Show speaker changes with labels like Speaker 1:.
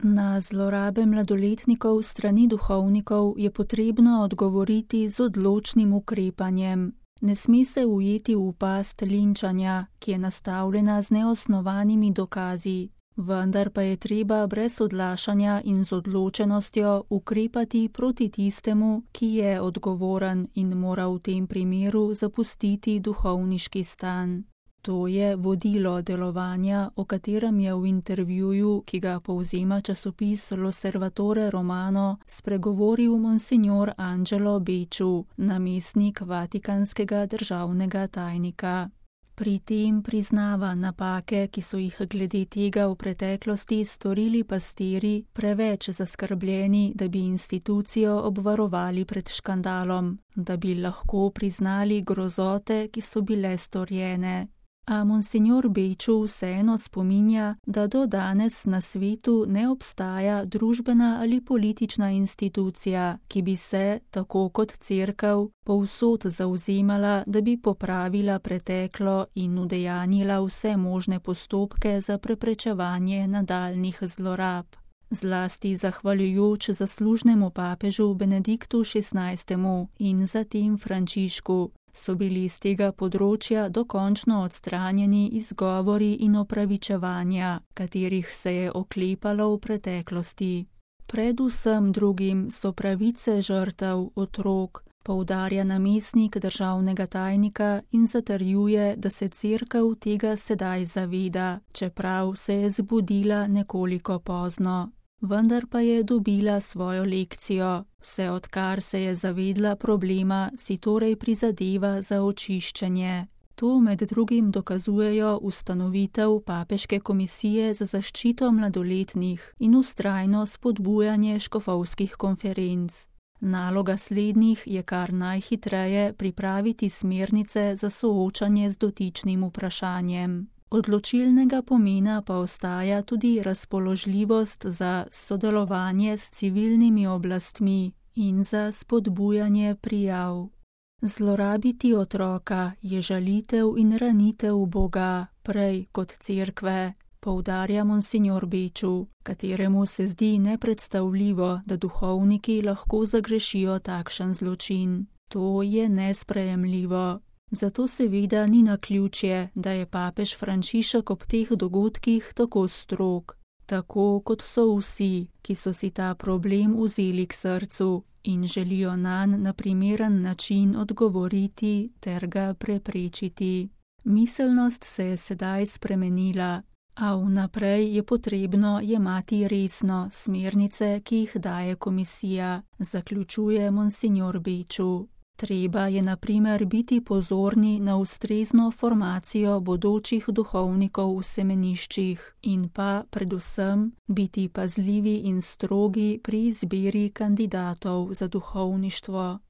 Speaker 1: Na zlorabe mladoletnikov strani duhovnikov je potrebno odgovoriti z odločnim ukrepanjem. Ne sme se ujeti v past linčanja, ki je nastavljena z neosnovanimi dokazi, vendar pa je treba brez odlašanja in z odločenostjo ukrepati proti tistemu, ki je odgovoren in mora v tem primeru zapustiti duhovniški stan. To je vodilo delovanja, o katerem je v intervjuju, ki ga povzema časopis L'Osservatore Romano, spregovoril monsignor Angelo Becciu, namestnik vatikanskega državnega tajnika. Pri tem priznava napake, ki so jih glede tega v preteklosti storili pastiri, preveč zaskrbljeni, da bi institucijo obvarovali pred škandalom, da bi lahko priznali grozote, ki so bile storjene. A monsignor Becciu vseeno spominja, da do danes na svetu ne obstaja družbena ali politična institucija, ki bi se, tako kot cerkev, povsod zavzemala, da bi popravila preteklo in udejanjila vse možne postopke za preprečevanje nadaljnjih zlorab. Zlasti zahvaljujoč zaslužnemu papežu Benediktu XVI. In zatem Frančišku, so bili z tega področja dokončno odstranjeni izgovori in opravičevanja, katerih se je oklepalo v preteklosti. Predvsem drugim so pravice žrtev, otrok, poudarja namestnik državnega tajnika in zatrjuje, da se cerkev tega sedaj zaveda, čeprav se je zbudila nekoliko pozno. Vendar pa je dobila svojo lekcijo, vse odkar se je zavedla problema, si torej prizadeva za očiščenje. To med drugim dokazujejo ustanovitev Papeške komisije za zaščito mladoletnih in vztrajno spodbujanje škofovskih konferenc. Naloga slednjih je kar najhitreje pripraviti smernice za soočanje z dotičnim vprašanjem. Odločilnega pomena pa ostaja tudi razpoložljivost za sodelovanje s civilnimi oblastmi in za spodbujanje prijav. Zlorabiti otroka je žalitev in ranitev Boga, prej kot cerkve, poudarja monsignor Becciu, kateremu se zdi nepredstavljivo, da duhovniki lahko zagrešijo takšen zločin. To je nesprejemljivo. Zato seveda ni naključje, da je papež Frančišek ob teh dogodkih tako strog, tako kot so vsi, ki so si ta problem vzeli k srcu in želijo nanj na primeren način odgovoriti ter ga preprečiti. Miselnost se je sedaj spremenila, a vnaprej je potrebno jemati resno smernice, ki jih daje komisija, zaključuje monsignor Becciu. Treba je na primer biti pozorni na ustrezno formacijo bodočih duhovnikov v semeniščih in pa predvsem biti pazljivi in strogi pri izbiri kandidatov za duhovništvo.